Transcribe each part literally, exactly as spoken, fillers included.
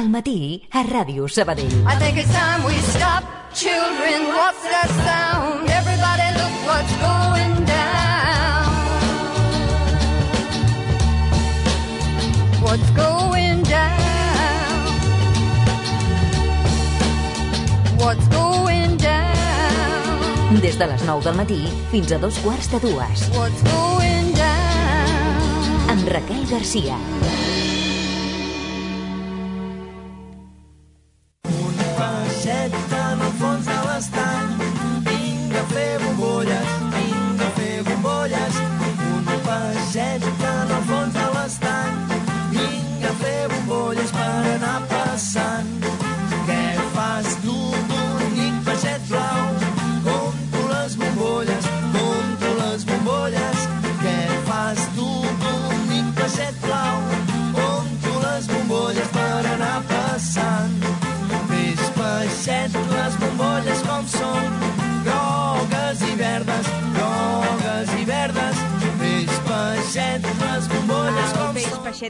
Al matí, a Ràdio Sabadell. I think it's time we stop. Children, what's that sound? Everybody look what's going down. What's going down? What's going down? Des de les nou del matí fins a dos quarts de dues. What's going down? Amb Raquel Garcia.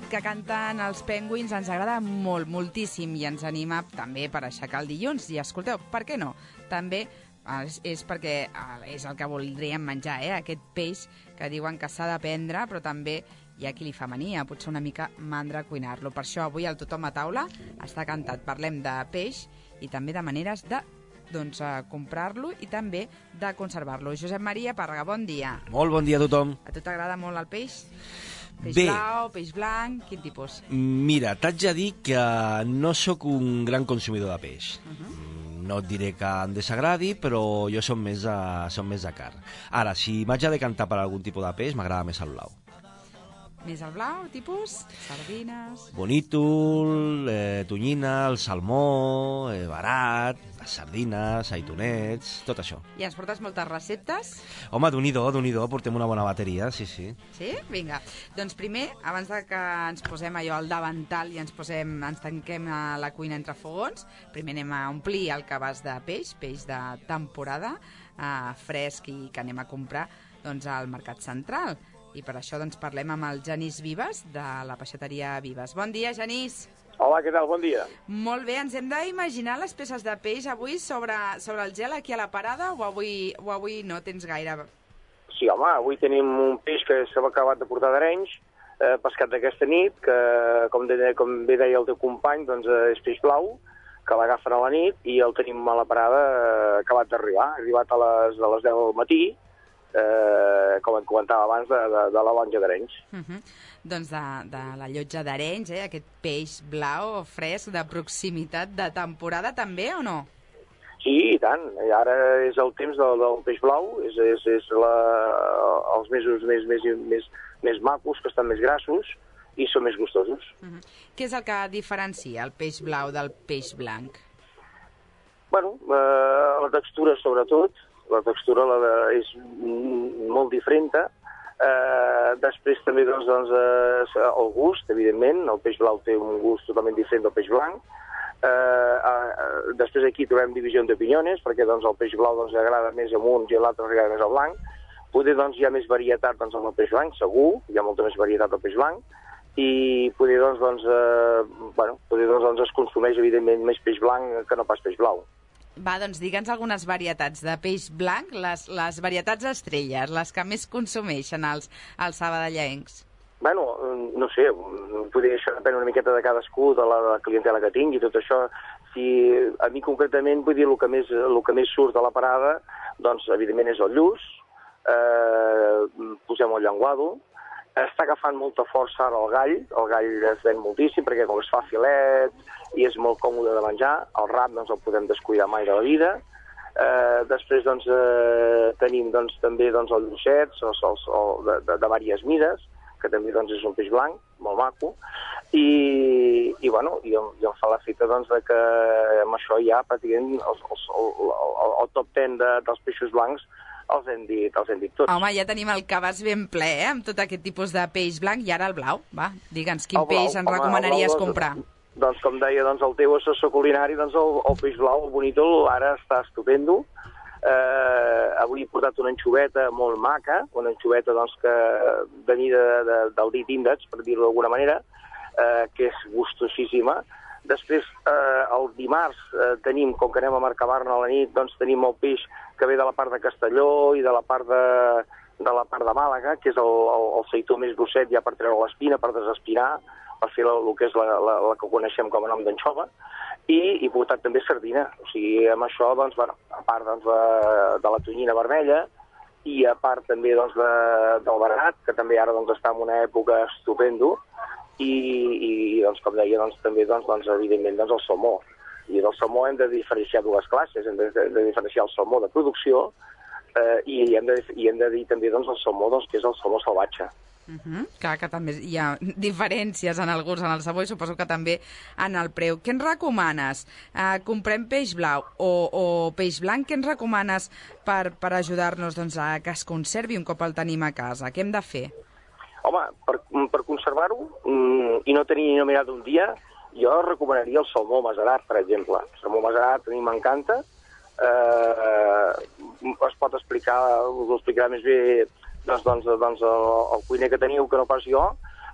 Que canten els Penguins ens agrada molt, moltíssim, i ens anima també per aixecar el dilluns. I escolteu, per què no? També és, és perquè és el que voldríem menjar, eh? Aquest peix que diuen que s'ha de prendre, però també hi ha qui li fa mania, potser una mica mandra cuinar-lo. Per això avui al Tothom a taula està cantat. Parlem de peix i també de maneres de doncs, comprar-lo i també de conservar-lo. Josep Maria Pàrrega, bon dia. Molt bon dia a tothom. A tu t'agrada molt el peix? Peix Bé, blau, peix blanc, quin tipus? Mira, t'haig de dir que no sóc un gran consumidor de peix. Uh-huh. No et diré que em desagradi, però jo som més, a, som més de carn. Ara, si m'haig de decantar per algun tipus de peix, m'agrada més el blau. Més el blau, tipus? Sardines... Bonítol, eh, tonyina, el salmó, eh, barat, les sardines, aitonets, tot això. I ens portes moltes receptes? Home, d'un-i-do, d'un-i-do, portem una bona bateria, sí, sí. Sí? Vinga. Doncs primer, abans de que ens posem allò al davantal i ens posem, ens tanquem a la cuina entre fogons, primer anem a omplir el cabàs de peix, peix de temporada, eh, fresc i que anem a comprar doncs, al Mercat Central. I per això doncs, parlem amb el Genís Vives, de la peixateria Vives. Bon dia, Genís. Hola, què tal? Bon dia. Molt bé, ens hem d'imaginar les peces de peix avui sobre, sobre el gel aquí a la parada o avui, o avui no tens gaire? Sí, home, avui tenim un peix que s'ha acabat de portar d'Arenys, eh, pescat d'aquesta nit, que com, de, com bé deia el teu company, doncs és peix blau, que l'agafen a la nit i el tenim a la parada eh, acabat d'arribar. Ha arribat a les, a les deu del matí, Eh, com et comentava abans, de, de, de la lonja d'Arenys. Uh -huh. Doncs de, de la llotja d'Arenys, eh? Aquest peix blau, fresc, de proximitat, de temporada també, o no? Sí, i tant. I ara és el temps del, del peix blau, és, és, és la, els mesos més, més, més, més macos, que estan més grassos, i són més gustosos. Uh -huh. Què és el que diferencia el peix blau del peix blanc? Bueno, eh, la textura, sobretot. La textura la de, és molt diferent. Eh, després també doncs, doncs, eh, el gust, evidentment. El peix blau té un gust totalment diferent del peix blanc. Eh, eh, després aquí trobem divisió d'opiniones, perquè doncs, el peix blau doncs, agrada més a un i l'altre agrada més al blanc. Poder doncs, hi ha més varietat doncs, amb el peix blanc, segur, hi ha molta més varietat del peix blanc, i poder, doncs, doncs, eh, bueno, poder doncs, doncs, es consumeix evidentment més peix blanc que no pas peix blau. Va, doncs digue'ns algunes varietats de peix blanc, les, les varietats estrelles, les que més consumeixen els, els sabadellencs. Bueno, no sé, poder, això depèn una miqueta de cadascú, de la, de la clientela que tingui, tot això. Si a mi concretament, vull dir, el que més, el que més surt de la parada, doncs, evidentment, és el lluç, eh, posem el llenguado, està agafant molta força ara el gall, el gall es ven moltíssim, perquè com es fa filet i és molt còmode de menjar, el rap no ens el podem descuidar mai de la vida. Eh, després doncs, eh, tenim doncs, també doncs, els llucets els, els, els, de, de, de diverses mides, que també doncs, és un peix blanc, molt maco, i, i, bueno, i, em, i em fa l'efecte doncs, de que amb això ja pràcticament els, els, el, el, el top ten de, dels peixos blancs els hem dit, els hem dit tots. Home, ja tenim el cabàs ben ple, eh?, amb tot aquest tipus de peix blanc, i ara el blau. Va, digue'ns, quin blau, peix ens home, recomanaries blau, doncs, comprar? Doncs, com deia doncs, el teu assessor culinari, doncs, el, el peix blau, el bonítol, ara està estupendo. Eh, avui he portat una anxoveta molt maca, una anxoveta doncs, que de mida de, de, del dit índex, per dir-ho d'alguna manera, eh, que és gustosíssima. Després, eh, el dimarts, eh, tenim, com que anem a Mercabarna a la nit, doncs tenim el peix que ve de la part de Castelló i de la part de, de, la part de Màlaga, que és el, el, el seitó més grosset ja per treure l'espina, per desespinar, per fer la, el que és la, la, la que coneixem com a nom d'anxova, i, i portat també sardina. O sigui, amb això, doncs, bueno, a part doncs, de, de la tonyina vermella, i a part també doncs, de, del verat, que també ara doncs, està en una època estupendo, i, i doncs, com deia, doncs, també doncs, doncs, evidentment doncs, el salmó. I del salmó hem de diferenciar dues classes, hem de, de, de diferenciar el salmó de producció eh, i, hem de, i hem de dir també doncs, el salmó doncs, que és el salmó salvatge. Uh -huh. Clar que també hi ha diferències en el gust, en el sabor i suposo que també en el preu. Què ens recomanes? Uh, comprem peix blau o, o peix blanc? Què ens recomanes per, per ajudar-nos doncs, a que es conservi un cop el tenim a casa? Què hem de fer? Home, per, per conservar-ho mm, i no tenir ni mirat un dia, jo recomanaria el salmó macerat, per exemple. El salmó macerat a mi m'encanta. Eh, es pot explicar, us ho explicarà més bé doncs, doncs, doncs el, el cuiner que teniu, que no pas jo.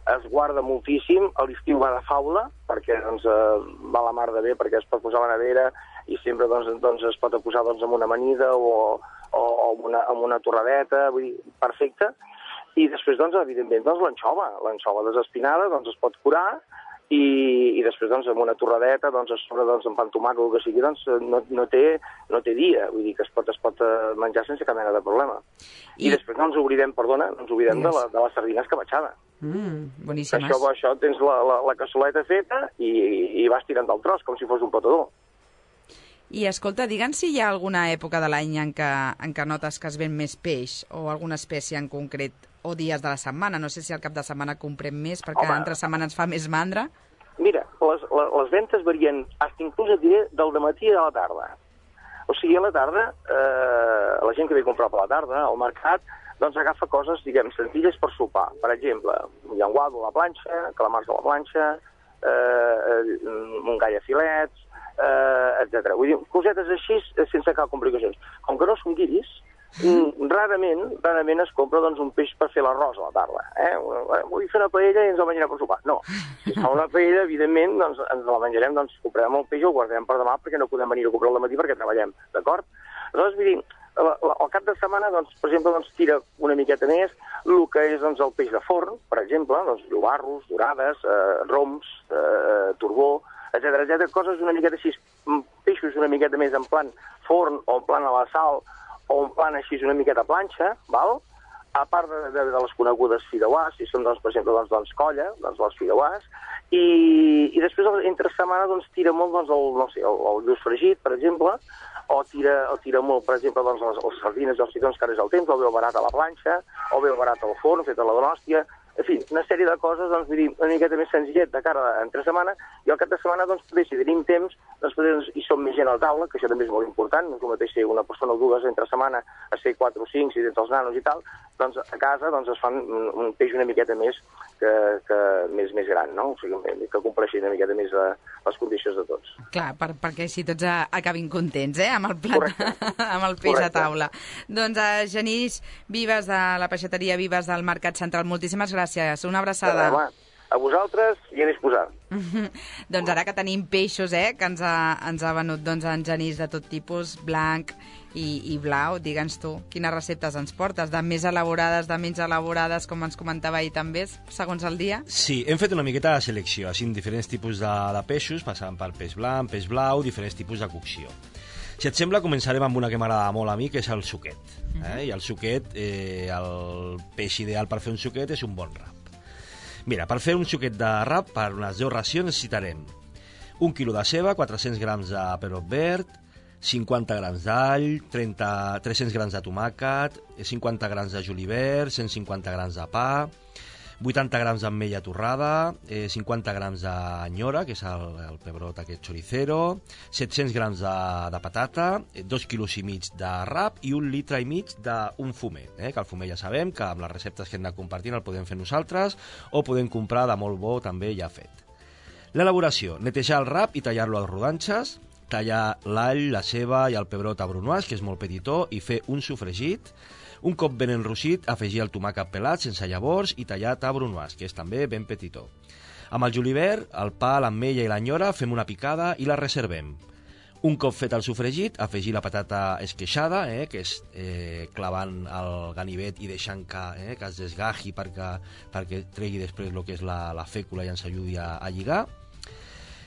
Es guarda moltíssim, a l'estiu va de faula, perquè doncs, eh, va la mar de bé, perquè es pot posar a la nevera i sempre doncs, doncs, es pot posar doncs, amb una amanida o, o, o amb, una, amb una torradeta, vull dir, perfecte. I després, doncs, evidentment, doncs, l'anxova. L'anxova desespinada doncs, es pot curar i, i després, doncs, amb una torradeta, doncs, a sobre, doncs, amb pa amb tomàquet o el que sigui, doncs, no, no, té, no té dia. Vull dir que es pot, es pot menjar sense cap mena de problema. I, I després no ens oblidem, perdona, no ens oblidem yes. de, la, de la sardina escabetxada. Mm, boníssimes. Això, això tens la, la, la cassoleta feta i, i vas tirant del tros, com si fos un petador. I, escolta, digue'ns si hi ha alguna època de l'any en, en què notes que es ven més peix o alguna espècie en concret o dies de la setmana. No sé si al cap de setmana comprem més perquè Home, entre setmana ens fa més mandra. Mira, les, les, les ventes varien, fins inclús et diré, del dematí a la tarda. O sigui, a la tarda, eh, la gent que ve a comprar per la tarda al mercat, doncs agafa coses, diguem, senzilles per sopar. Per exemple, llenguado a la planxa, calamars a la planxa, eh, mongall a filets, eh, etcètera. Vull dir, cosetes així sense cap complicacions. Com que no són guiris, mm, rarament, rarament es compra doncs, un peix per fer l'arròs a la tarda. Eh? Vull fer una paella i ens la menjarem per sopar. No, si fa una paella, evidentment, doncs, ens la menjarem, doncs comprarem el peix i el guardarem per demà perquè no podem venir a comprar al matí perquè treballem, d'acord? Aleshores, vull dir, al cap de setmana, doncs, per exemple, doncs, tira una miqueta més el que és doncs, el peix de forn, per exemple, doncs, llobarros, dorades, eh, roms, eh, turbó, etcètera, etcètera, coses una miqueta així, peixos una miqueta més en plan forn o en plan a la sal o en plan així una miqueta planxa, val? A part de, de, de les conegudes fideuàs, si són, doncs, per exemple, doncs, doncs, colla, doncs, les fideuàs, i, i després, entre setmana, doncs, tira molt doncs, el, no sé, el, el lluç fregit, per exemple, o tira, o tira molt, per exemple, doncs, les, les sardines i els cigrons, que ara és el temps, o bé el barat a la planxa, o bé el barat al forn, fet a la donòstia, en fi, una sèrie de coses, doncs, vull dir, una miqueta més senzillet de cara a entre setmana, i al cap de setmana, doncs, poder, si tenim temps, doncs, poder, doncs, hi som més gent a la taula, que això també és molt important, no és el mateix ser una persona o dues entre setmana a ser quatre o cinc, si tens els nanos i tal, doncs, a casa, doncs, es fan un, un peix una miqueta més que, que més, més gran, no? O sigui, que compleixi una miqueta més a, les condicions de tots. Clar, per, perquè així tots a, acabin contents, eh?, amb el plat, amb el peix Correcte. A taula. Doncs, a Genís Vives, de la peixateria Vives del Mercat Central, moltíssimes gràcies. Una abraçada. Home, a vosaltres i a disposar. Doncs ara que tenim peixos, eh, que ens ha, ens ha venut doncs, en Genís de tot tipus, blanc i, i blau, digue'ns tu, quines receptes ens portes? De més elaborades, de menys elaborades, com ens comentava ahir també, segons el dia? Sí, hem fet una miqueta de selecció, així, diferents tipus de, de peixos, passant pel peix blanc, peix blau, diferents tipus de cocció. Si et sembla, començarem amb una que m'agrada molt a mi, que és el suquet. Eh? Uh-huh. I el suquet, eh, el peix ideal per fer un suquet és un bon rap. Mira, per fer un suquet de rap, per unes deu racions, necessitarem un quilo de ceba, quatre-cents grams de pebrot verd, cinquanta grams d'all, tres-cents grams de tomàquet, cinquanta grams de julivert, cent cinquanta grams de pa, vuitanta grams d'ametlla torrada, eh, cinquanta grams d'anyora, que és el, el pebrot aquest choricero, set-cents grams de, de patata, dos quilos i mig de rap i un litre i mig d'un fumet, eh, que el fumet ja sabem que amb les receptes que hem de compartir el podem fer nosaltres o podem comprar de molt bo també ja fet. L'elaboració: netejar el rap i tallar-lo a rodanxes, tallar l'all, la ceba i el pebrot a brunoise, que és molt petitó, i fer un sofregit. Un cop ben enrossit, afegir el tomàquet pelat sense llavors i tallat a brunoise, que és també ben petitó. Amb el julivert, el pa, l'ametlla i l'anyora fem una picada i la reservem. Un cop fet el sofregit, afegir la patata esqueixada, eh, que és eh, clavant el ganivet i deixant que, eh, que es desgaji perquè, perquè tregui després el que és la, la fècula i ens ajudi a, a lligar.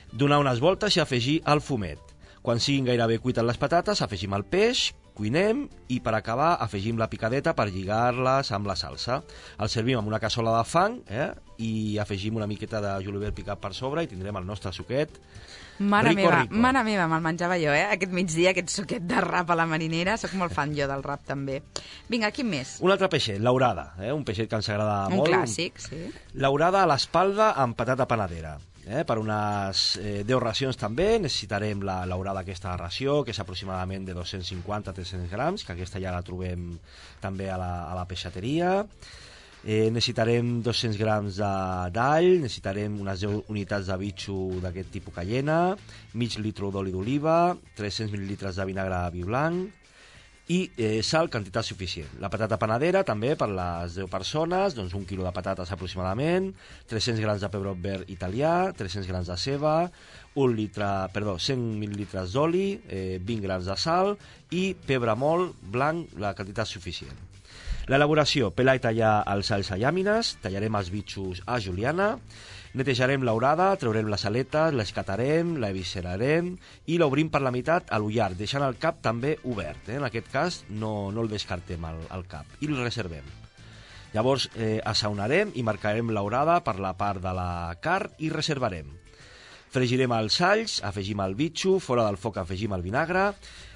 Donar unes voltes i afegir el fumet. Quan siguin gairebé cuites les patates, afegim el peix, cuinem i per acabar afegim la picadeta per lligar-les amb la salsa. El servim amb una cassola de fang eh, i afegim una miqueta de julivert picat per sobre i tindrem el nostre suquet. Mare rico, meva, rico. mare meva, me'l menjava jo, eh? Aquest migdia, aquest suquet de rap a la marinera. Soc molt fan jo del rap, també. Vinga, quin més? Un altre peixet, l'aurada, eh? Un peixet que ens agrada Un molt. clàssic, sí. L'aurada a l'espalda amb patata panadera. Eh? Per unes eh, deu racions també necessitarem la l'aurada aquesta ració, que és aproximadament de dos-cents cinquanta a tres-cents grams, que aquesta ja la trobem també a la, a la peixateria. Eh, necessitarem dos-cents grams d'all, necessitarem unes deu unitats de bitxo d'aquest tipus cayena, mig litre d'oli d'oliva, tres-cents mil·lilitres de vinagre vi blanc i eh, sal, quantitat suficient. La patata panadera també per les deu persones, doncs un quilo de patates aproximadament, tres-cents grams de pebrot verd italià, tres-cents grams de ceba, un litre, perdó, cent mil·lilitres d'oli, eh, vint grams de sal i pebre molt blanc, la quantitat suficient. L'elaboració, pelar i tallar els alls a llàmines, tallarem els bitxos a juliana, netejarem l'aurada, treurem les aletes, l'escatarem, la eviscerarem i l'obrim per la meitat a l'ullar, deixant el cap també obert. Eh? En aquest cas no, no el descartem el, el cap i el reservem. Llavors eh, assaonarem i marcarem l'aurada per la part de la carn i reservarem. Fregirem els alls, afegim el bitxo, fora del foc afegim el vinagre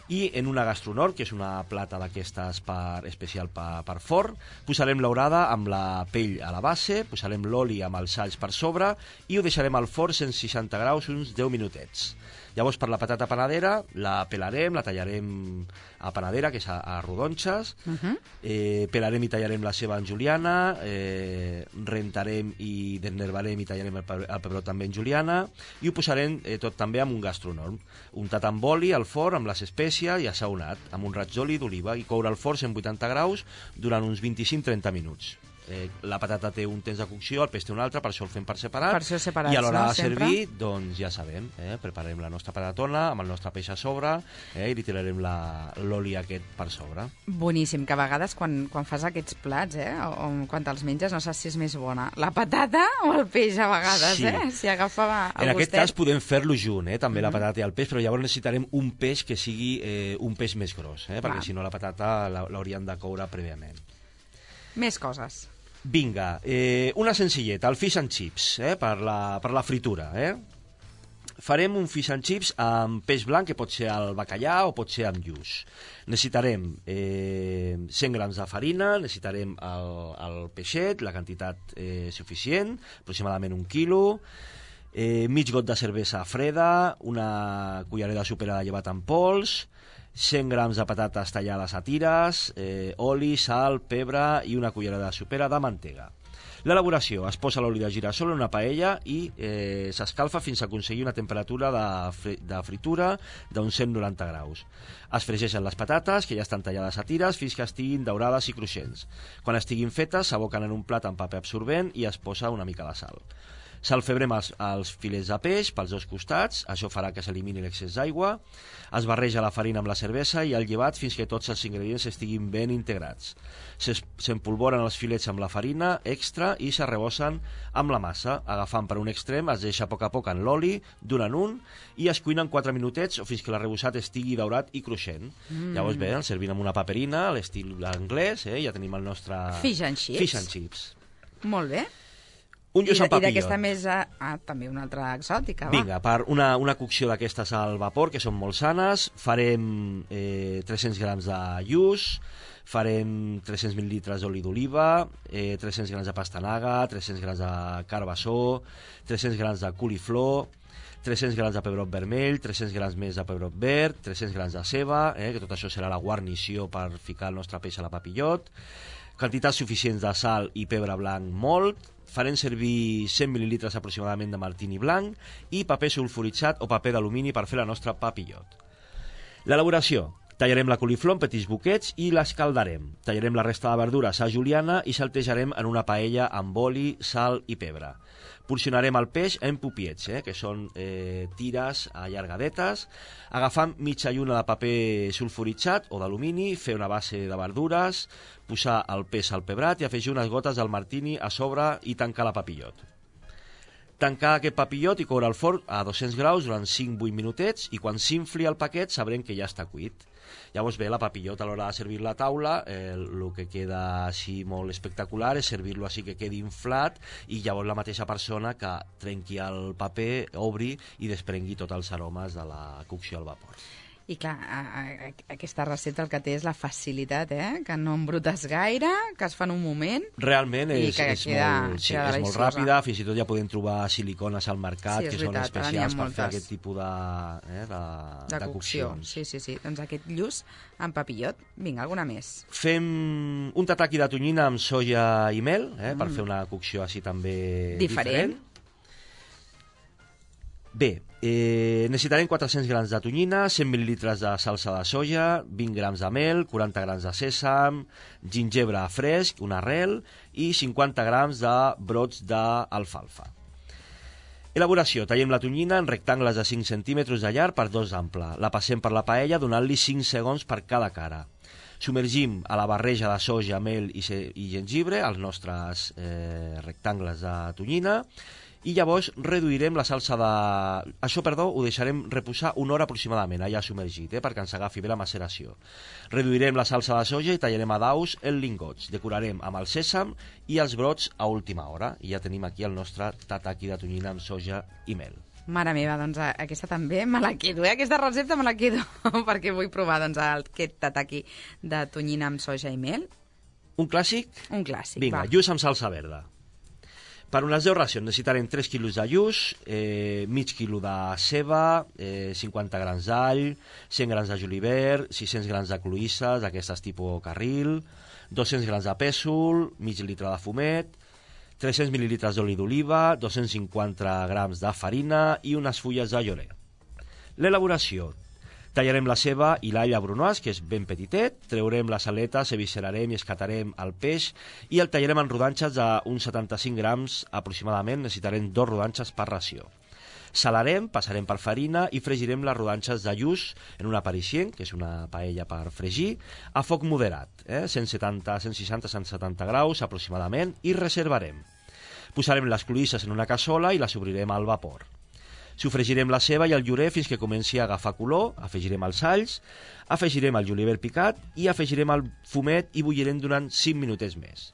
i en una gastronor, que és una plata d'aquestes per, especial per, per forn, posarem l'aurada amb la pell a la base, posarem l'oli amb els alls per sobre i ho deixarem al forn cent seixanta graus uns deu minutets. Llavors per la patata panadera la pelarem, la tallarem a panadera, que és a, a rodonxes, uh-huh. eh, pelarem i tallarem la ceba en juliana, eh, rentarem i desnervarem i tallarem el, el pebrot també en juliana i ho posarem eh, tot també amb un gastronor, untat amb oli al forn amb les espècies i assaonat amb un raig d'oli d'oliva i coure al forn cent vuitanta graus durant uns vint-i-cinc a trenta minuts. Eh, la patata té un temps de cocció, el peix té un altre, per això el fem per separat. Per això separats, I a l'hora no? de servir, doncs ja sabem, eh, preparem la nostra patatona amb el nostre peix a sobre eh, i li tirarem l'oli aquest per sobre. Boníssim, que a vegades quan, quan fas aquests plats, eh, o, o quan te'ls menges, no saps si és més bona la patata o el peix a vegades, sí. eh? Si agafa el En aquest gustet. cas podem fer-lo junt, eh, també Mm-hmm. la patata i el peix, però llavors necessitarem un peix que sigui eh, un peix més gros, eh, perquè Clar. si no la patata l'hauríem de coure prèviament. Més coses. Vinga, eh, una senzilleta, el fish and chips, eh, per, la, per la fritura. Eh? Farem un fish and chips amb peix blanc, que pot ser el bacallà o pot ser amb lluç. Necessitarem eh, cent grams de farina, necessitarem el, el peixet, la quantitat eh, suficient, aproximadament un quilo, eh, mig got de cervesa freda, una cullerada sopera de llevat en pols, cent grams de patates tallades a tires, eh, oli, sal, pebre i una cullerada sopera de mantega. L'elaboració: es posa l'oli de girassol en una paella i eh, s'escalfa fins a aconseguir una temperatura de, fri de fritura d'uns cent noranta graus. Es fregeixen les patates, que ja estan tallades a tires, fins que estiguin daurades i cruixents. Quan estiguin fetes, s'aboquen en un plat amb paper absorbent i es posa una mica de sal. Salfebrem els, els filets de peix pels dos costats, això farà que s'elimini l'excés d'aigua. Es barreja la farina amb la cervesa i el llevat fins que tots els ingredients estiguin ben integrats. S'empolvoren els filets amb la farina extra i s'arrebossen amb la massa. Agafant per un extrem, es deixa a poc a poc en l'oli, d'un en un, i es cuinen quatre minutets o fins que l'arrebossat estigui daurat i cruixent. Mm. Llavors bé, el servim amb una paperina, a l'estil anglès, eh? Ja tenim el nostre... Fish and chips. Fish and chips. Molt bé. Un lluç amb I papillon. d'aquesta més... Ah, també una altra exòtica, va. Vinga, per una, una cocció d'aquestes al vapor, que són molt sanes, farem eh, tres-cents grams de lluç, farem tres-cents mil·lilitres d'oli d'oliva, eh, tres-cents grams de pastanaga, tres-cents grams de carbassó, tres-cents grams de coliflor, tres-cents grams de pebrot vermell, tres-cents grams més de pebrot verd, tres-cents grams de ceba, eh, que tot això serà la guarnició per ficar el nostre peix a la papillot, quantitats suficients de sal i pebre blanc molt. Farem servir cent mil·lilitres aproximadament de martini blanc i paper sulfuritzat o paper d'alumini per fer la nostra papillot. L'elaboració: Tallarem la coliflor en petits boquets i l'escaldarem. Tallarem la resta de verdures a juliana i saltejarem en una paella amb oli, sal i pebre. Porcionarem el peix en pupiets, eh, que són eh, tires allargadetes. Agafant mitja lluna de paper sulfuritzat o d'alumini, fer una base de verdures, posar el peix al pebrat i afegir unes gotes del martini a sobre i tancar la papillot. Tancar aquest papillot i coure al forn a dos-cents graus durant cinc a vuit minutets i quan s'infli el paquet sabrem que ja està cuit. Llavors bé, la papillot a l'hora de servir-la a taula, eh, el que queda així molt espectacular és servir-lo així que quedi inflat i llavors la mateixa persona que trenqui el paper, obri i desprengui tots els aromes de la cocció al vapor. I clar, a, a, aquesta recepta el que té és la facilitat, eh? Que no embrutes gaire, que es fa en un moment. Realment és, és, queda, molt, sí, és molt ràpida, fins i tot ja podem trobar silicones al mercat sí, que veritat, són especials per moltes. fer aquest tipus de, eh, de, de, de cocció. coccions. Sí, sí, sí. Doncs aquest lluç amb papillot. Vinga, alguna més. Fem un tataki de tonyina amb soia i mel, eh, mm. per fer una cocció així també diferent. diferent. Bé, eh, necessitarem quatre-cents grams de tonyina, cent mil·lilitres de salsa de soja, vint grams de mel, quaranta grams de sèsam, gingebre fresc, una arrel i cinquanta grams de brots d'alfalfa. Elaboració. Tallem la tonyina en rectangles de cinc centímetres de llarg per dos d'ample. La passem per la paella donant-li cinc segons per cada cara. Submergim a la barreja de soja, mel i, i gengibre els nostres eh, rectangles de tonyina i llavors reduirem la salsa de... Això, perdó, ho deixarem reposar una hora aproximadament, allà submergit, eh, perquè ens agafi bé la maceració. Reduirem la salsa de soja i tallarem a daus en lingots. Decorarem amb el sèsam i els brots a última hora. I ja tenim aquí el nostre tataki de tonyina amb soja i mel. Mare meva, doncs aquesta també me la quedo, eh? Aquesta recepta me la quedo, perquè vull provar doncs, aquest tataki de tonyina amb soja i mel. Un clàssic? Un clàssic, Vinga, va. lluç amb salsa verda. Per unes deu racions necessitarem tres quilos de lluç, eh, mig quilo de ceba, eh, cinquanta grams d'all, cent grams de julivert, sis-cents grams de cloïsses, d'aquestes tipus carril, dos-cents grams de pèsol, mig litre de fumet, tres-cents mil·lilitres d'oli d'oliva, dos-cents cinquanta grams de farina i unes fulles de llorer. L'elaboració. Tallarem la ceba i l'all a brunoise, que és ben petitet, treurem les aletes, eviscerarem i escatarem el peix i el tallarem en rodanxes d'uns setanta-cinc grams aproximadament, necessitarem dos rodanxes per ració. Salarem, passarem per farina i fregirem les rodanxes de lluç en una parixent, que és una paella per fregir, a foc moderat, eh? cent setanta, cent seixanta, cent setanta graus aproximadament, i reservarem. Posarem les cloïsses en una cassola i les obrirem al vapor. Sofregirem la ceba i el llorer fins que comenci a agafar color, afegirem els alls, afegirem el julivert picat i afegirem el fumet i bullirem durant cinc minutets més.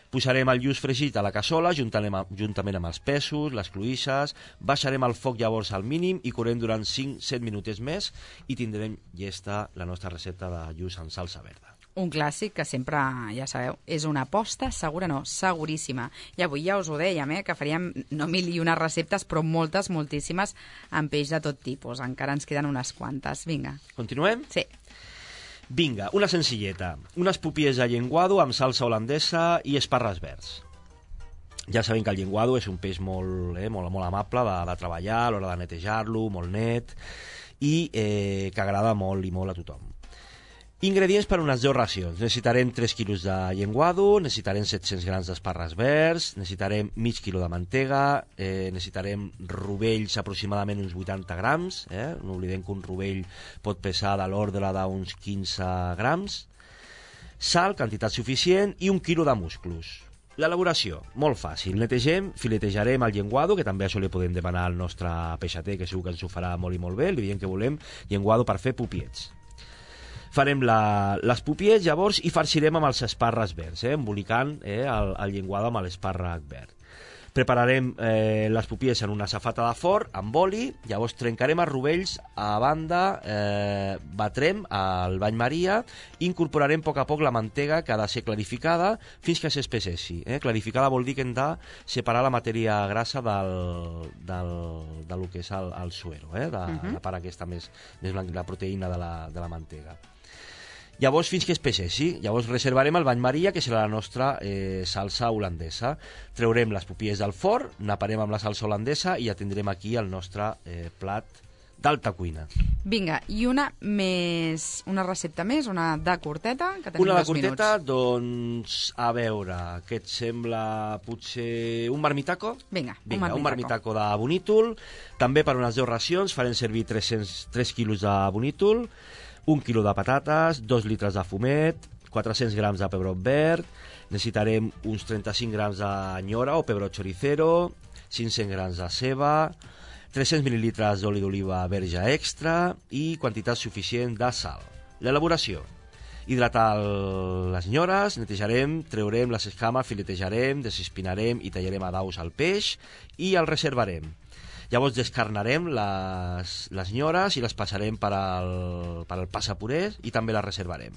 Posarem el lluç fregit a la cassola juntament amb els pèsols, les cloïsses, baixarem el foc llavors al mínim i correm durant cinc a set minutets més i tindrem llesta la nostra recepta de lluç amb salsa verda. Un clàssic que sempre, ja sabeu, és una aposta segura, no, seguríssima. I avui ja us ho dèiem, eh, que faríem no mil i unes receptes, però moltes, moltíssimes, amb peix de tot tipus. Encara ens queden unes quantes. Vinga. Continuem? Sí. Vinga, una senzilleta. Unes pupies de llenguado amb salsa holandesa i esparres verds. Ja sabem que el llenguado és un peix molt, eh, molt, molt amable de, de treballar, a l'hora de netejar-lo, molt net, i eh, que agrada molt i molt a tothom. Ingredients per unes deu racions. Necessitarem tres quilos de llenguado, necessitarem set-cents grams d'esparres verds, necessitarem mig quilo de mantega, eh, necessitarem rovells aproximadament uns vuitanta grams, eh? No oblidem que un rovell pot pesar de l'ordre d'uns quinze grams, sal, quantitat suficient, i un quilo de musclos. L'elaboració, molt fàcil. Netegem, filetejarem el llenguado, que també això li podem demanar al nostre peixater, que segur que ens ho farà molt i molt bé. Li diem que volem llenguado per fer pupiets. Farem la, les pupiets, llavors, i farcirem amb els esparres verds, eh, embolicant eh, el, el llenguado amb l'espàrrec verd. Prepararem eh, les pupies en una safata de forn amb oli, llavors trencarem els rovells a banda, eh, batrem al bany maria i incorporarem a poc a poc la mantega que ha de ser clarificada fins que s'espesseixi. Eh? Clarificada vol dir que hem de separar la matèria grassa del, del, del que és el, el suero, eh? de, uh-huh. la part aquesta més, més blanca, la proteïna de la, de la mantega. Llavors, fins que es peixeixi, llavors reservarem el bany maria, que serà la nostra eh, salsa holandesa. Treurem les pupies del forn, naparem amb la salsa holandesa i ja tindrem aquí el nostre eh, plat d'alta cuina. Vinga, i una més, una recepta més, una de curteta, que tenim Una de dos curteta, minuts. doncs, a veure, què et sembla potser un marmitaco? Vinga, un Vinga, un marmitaco. marmitaco de bonítol. També per unes deu racions farem servir tres-cents tres quilos de bonítol, un quilo de patates, dos litres de fumet, quatre-cents grams de pebrot verd, necessitarem uns trenta-cinc grams de nyora o pebrot choricero, cinc-cents grams de ceba, tres-cents mil·lilitres d'oli d'oliva verge extra i quantitat suficient de sal. L'elaboració. Hidratar el- les nyores, netejarem, treurem les escames, filetejarem, desespinarem i tallarem a daus el peix i el reservarem. Llavors descarnarem les, les nyores i les passarem per al, per al passapurés i també les reservarem.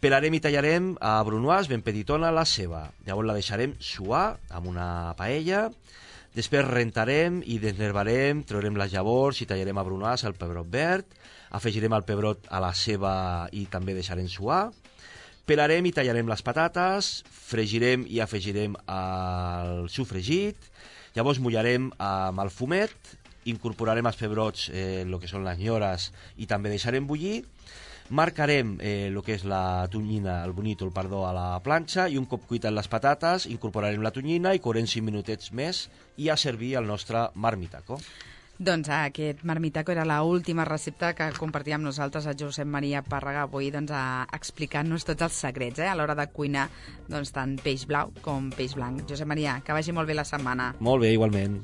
Pelarem i tallarem a brunoise ben petitona la ceba. Llavors la deixarem suar amb una paella. Després rentarem i desnervarem, traurem les llavors i tallarem a brunoise el pebrot verd. Afegirem el pebrot a la ceba i també deixarem suar. Pelarem i tallarem les patates, fregirem i afegirem el sofregit. Llavors mullarem amb el fumet, incorporarem els pebrots, eh, el que són les nyores, i també deixarem bullir. Marcarem eh, el que és la tonyina, el bonítol, perdó, a la planxa, i un cop cuitat les patates incorporarem la tonyina i courem cinc minutets més i a servir el nostre marmitaco. Doncs aquest marmitaco era l'última recepta que compartia amb nosaltres el Josep Maria Pàrraga avui, doncs, a explicant-nos tots els secrets eh, a l'hora de cuinar, doncs, tant peix blau com peix blanc. Josep Maria, que vagi molt bé la setmana. Molt bé, igualment.